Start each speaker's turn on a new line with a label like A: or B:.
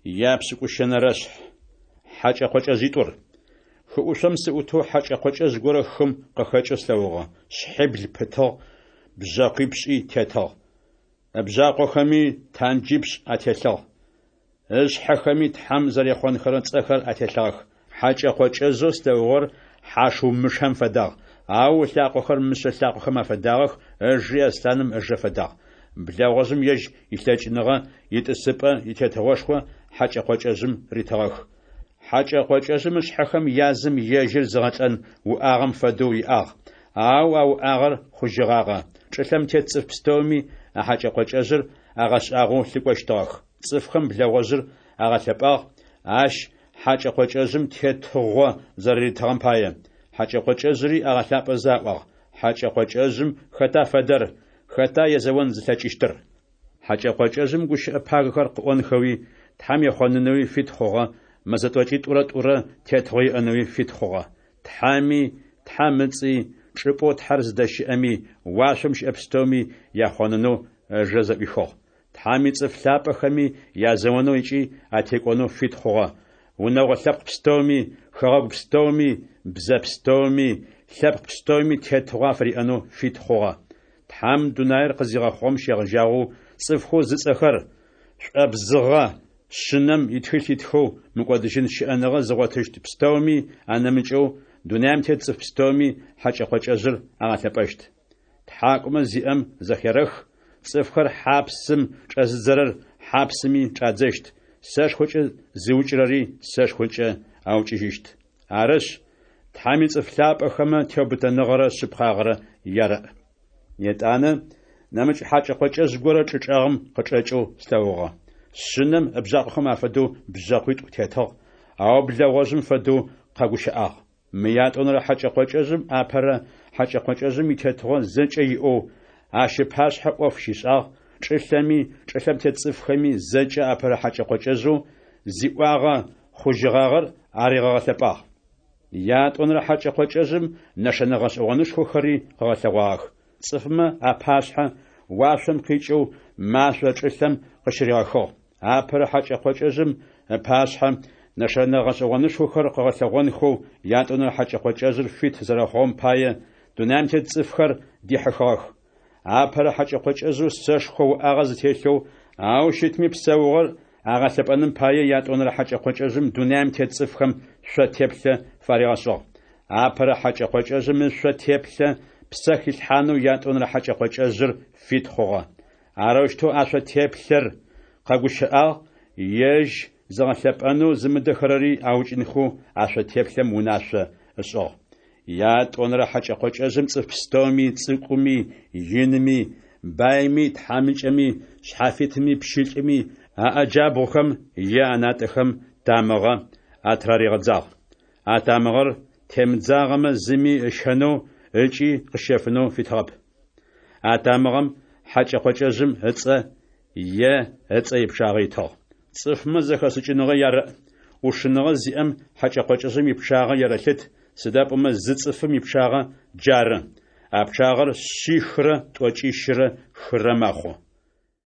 A: Япшӏыкӏущэнэрэшъхь. Хьакӏэ-къокӏэжъитӏур. Хы ӏушъом сыӏутэу хьэкӏэ-къокӏэжъ горэ хым къыхэкӏэу слъэгъугъэ. Шъхьибл пытыгъ, бжъэкъуипшӏи тетыгъ. Ыбжъакъохэми танджипшӏ ателъыгъ. Ышъхьэхэми Тхьэм зэрехъонхэрэ цӏэхэр ателъыгъэх. Хьэкӏэ-къокӏэжъэу слъэгъугъэр хьашыумышэм фэдагъ, ау ылъакъохэр мышъэ лъакъохэм афэдагъэх, ыжи аслъаным ыжэ фэдагъ. Блэгъожъым ежь илъэкӏыныгъэ, итӏысыпӏэ, итетыгъошхо хьэкӏэ-къокӏэжъым ритыгъэх. Хьэкӏэ-къокӏэжъым ышъхьэхэм язым ежьыр зыгъэлӏэн уӏагъэм фэдэу иӏагъ, ау а уӏагъэр хъужьыгъагъэ. Чӏылъэм тет цӏыф пстэуми а хьэкӏэ-къокӏэжъыр агъэшӏагъоу лъыкӏощтыгъэх. Цӏыфхэм блэгъожъыр агъэлъэпӏагъ, ащ хьэкӏэ-къокӏэжъым тетыгъо зэрэритыгъэм пае. Хьэкӏэ-къокӏэжъыри агъэлъапӏэзэ аӏуагъ: Хьэкӏэ-къокӏэжъым хэта фэдэр, хэта езэон зылъэкӏыщтыр? Хьэкӏэ-къокӏэжъым гущыӏэ пагэхэр къыӏонхэуи, Тхьэм ехъонынэуи фит хъугъэ, мэзэ тӏокӏитӏурэ тӏурэ тетыгъо иӏэнэуи фит хъугъэ. Тхьэми, Тхьэм ыцӏи, чӏыпӏэу Тхьэр зыдэщыӏэми, уашъом щыӏэ пстэуми яхъонынэу ыжэ зэӏуихыгъ. Тхьэм ицӏыф лъапӏэхэми язэонэу ыкӏи атекӏонэу фит хъугъэ. Унэгъо лъэпкъ пстэуми, хэгъэгу пстэуми, бзэ пстэуми, лъэпкъ пстэуми тетыгъо афыриӏэнэу фит хъугъэ. Тхьэм дунаир къызигъэхъугъэм щегъэжьагъэу цӏыфхэу зыцӏэхэр шӏуабзыгъэ Шъынэм итхылъ итхэу мыкӏодыжьын щыӏэныгъэ зыгъотыщт пстэуми анэмыкӏэу, дунаим тет цӏыф пстэуми хьэкӏэ-къокӏэжъыр агъэлъэпӏэщт. Тхьакӏумэ зиӏэм зэхерэх: цӏыфхэр хьапсым чӏэзыдзэрэр хьапсыми чӏадзэщт, сэшхокӏэ зыукӏырэри сэшхокӏэ аукӏыжьыщт. Арышъ, Тхьэм ицӏыф лъапӏэхэмэ теубытэныгъэрэ шъыпкъагъэрэ ярэӏ. Етӏанэ нэмыкӏ хьакӏэ-къокӏэжъ горэ чӏы чӏэгъым къычӏэкӏэу слъэгъугъэ. Шъынэм ыбжъакъохэм афэдэу бжъэкъуитӏу тетыгъ, ау блэгъожъым фэдэу къэгущыӏагъ. Мы ятӏонэрэ хьэкӏэ-къокӏэжъым апэрэ хьэкӏэ-къокӏэжъым итетыгъо зэкӏэ иӏэу, ащ ыпашъхьэ ӏоф щишӏагъ, чӏылъэми, чӏылъэм тет цӏыфхэми зэкӏэ апэрэ хьэкӏэ-къокӏэжъэу зиӏуагъэ хъужьыгъагъэр аригъэгъэлъэпӏагъ. Ятӏонэрэ хьэкӏэ-къокӏэжъым нэшэнэ гъэшӏэгъонышхохэри къыгъэлъэгъуагъэх. Цӏыфмэ апашъхьэ уашъом къикӏэу машӏо чӏылъэм къыщыригъэхыгъ. Апэрэ хьэкӏэ-къокӏэжъым ыпашъхьэ нэшэнэ гъэшӏэгъонышхохэр къыгъэлъэгъонхэу ятӏонэрэ хьэкӏэ-къокӏэжъыр фит зэрэхъугъэм пае, дунаим тет цӏыфхэр дихьыхыгъэх. Апэрэ хьэкӏэ-къокӏэжъэу сэшхо уӏагъэ зытелъэу, ау щытми псэугъэр агъэлъэпӏэным пае ятӏонэрэ хьэкӏэ-къокӏэжъым дунаим тет цӏыфхэм шъо теплъэ фаригъэшӏыгъ. Апэрэ хьэкӏэ-къокӏэжъым ышъо теплъэ псэ хилъхьанэу ятӏонэрэ хьэкӏэ-къокӏэжъыр фит хъугъэ. Арэущтэу а шъо теплъэр къэгущыӏагъ, ежь зыгъэлъэпӏэнэу зымыдэхэрэри аукӏынхэу а шъо теплъэм унашъо ышӏыгъ. Ятӏонэрэ хьэкӏэ-къокӏэжъым цӏыф пстэуми, цӏыкӏуми, иными, байми, тхьамыкӏэми, шъхьафитми, пщылӏми аӏэ джабгъухэм е анатӏэхэм тамыгъэ атыраригъэдзагъ. А тамыгъэр темыдзагъэмэ зыми ыщэнэу ыкӏи къыщэфынэу фитыгъэп. А тамыгъэм хьэкӏэ-къокӏэжъым ыцӏэ е ыцӏэ ипчъагъэ итыгъ. Цӏыфмэ зэхэшӏыкӏыныгъэ ярэӏ, ӏушыныгъэ зиӏэм хьэкӏэ-къокӏэжъым ипчъагъэ ерэлъыт, сыда пӏомэ зы цӏыфым ипчъагъэ джары. А пчъагъэр шъихрэ тӏокӏищрэ хырэ мэхъу.